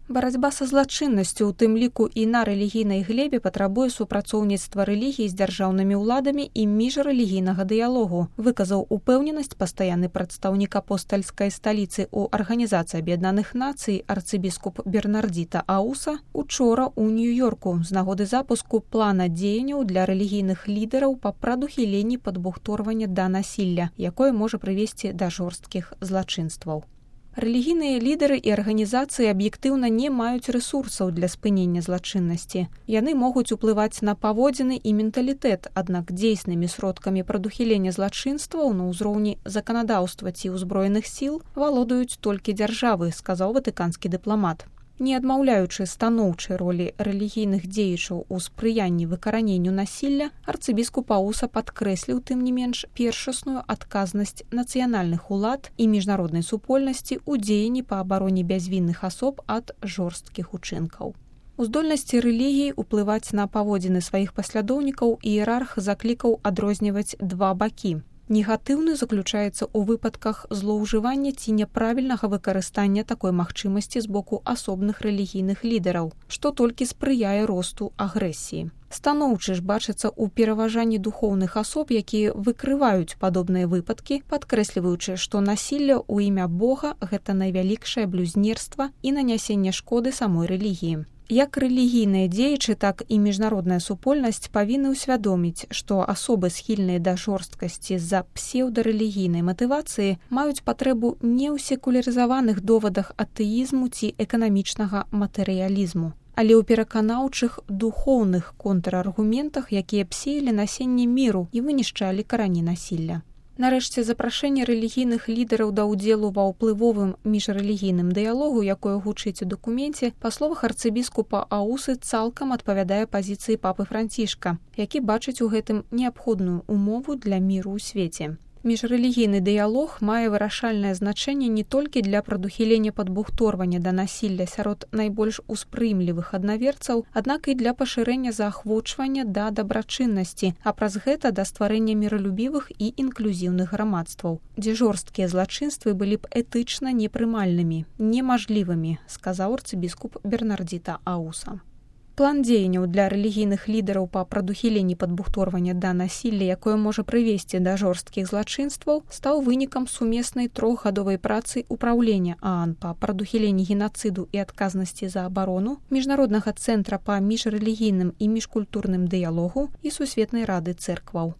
Барацьба са злачыннасцю, у тым ліку і на рэлігійнай глебе, патрабуе супрацоўніцтва рэлігій з дзяржаўнымі ўладамі і міжрэлігійнага дыялогу, выказаў упэўненасць пастаянны прадстаўнік апостальскай сталіцы ў Арганізацыі Аб'яднаных Нацый арцыбіскуп Бернардзіта Ауса учора ў Нью-Йорку з нагоды запуску плана дзеянняў для рэлігійных лідараў па прадухіленні падбухторвання да насілля, якое можа прывесці да жорсткіх злачынстваў. Рэлігійныя лідары і арганізацыі аб'ектыўна не маюць рэсурсаў для спынення злачыннасці. Яны могуць уплываць на паводзіны і менталітэт, аднак дзейснымі сродкамі прадухілення злачынстваў на ўзроўні заканадаўства ці ўзброеных сіл валодаюць толькі дзяржавы, сказаў ватыканскі дыпламат. Не адмаўляючы станоўчай ролі рэлігійных дзеячаў у спрыянні выкараненню насілля, арцыбіскуп Ауса падкрэсліў, тым не менш, першасную адказнасць нацыянальных улад і міжнароднай супольнасці ў дзеянні па абароне бязвінных асоб ад жорсткіх учынкаў. У здольнасці рэлігій уплываць на паводзіны сваіх паслядоўнікаў іерарх заклікаў адрозніваць два бакі. Негатыўны заключаецца ў выпадках злоўжывання ці няправільнага выкарыстання такой магчымасці з боку асобных рэлігійных лідараў, што толькі спрыяе росту агрэсіі. Станоўчы ж бачыцца ў пераважанні духоўных асоб, якія выкрываюць падобныя выпадкі, падкрэсліваючы, што насілле ў імя Бога – гэта найвялікшае блюзнерства і нанясенне шкоды самой рэлігіі. Як рэлігійныя дзеячы, так і міжнародная супольнасць павінны ўсвядоміць, што асобы, схільныя да жорсткасці з-за псеўдарэлігійнай матывацыі, маюць патрэбу не ў секулярызаваных довадах атэізму ці эканамічнага матэрыялізму, але ў пераканаўчых духоўных контраргументах, якія б сеялі насенне міру і вынішчалі карані насілля. Нарэшце, запрашэнне рэлігійных лідараў да ўдзелу ва ўплывовым міжрэлігійным дыялогу, якое гучыць у дакуменце, па словах арцыбіскупа Аусы цалкам адпавядае пазіцыі папы Францішка, які бачыць у гэтым неабходную умову для міру ў свеце. Міжрэлігійны дыялог мае вырашальнае значэнне не толькі для прадухілення падбухторвання да насілля сярод найбольш успрымлівых аднаверцаў, аднак і для пашырэння заахвочвання да дабрачыннасці, а праз гэта да стварэння міралюбівых і інклюзіўных грамадстваў, дзе жорсткія злачынствы былі б этычна непрымальнымі, немажлівымі, сказаў арцыбіскуп Бернардзіта Ауса. План дзеянняў для рэлігійных лідараў па прадухіленні падбухторвання да насілля, якое можа прывесці да жорсткіх злачынстваў, стаў вынікам сумеснай трохгадовай працы ўпраўлення ААН па прадухіленні генацыду і адказнасці за абарону, Міжнароднага цэнтра па міжрэлігійным і міжкультурным дыялогу і Сусветнай рады цэркваў.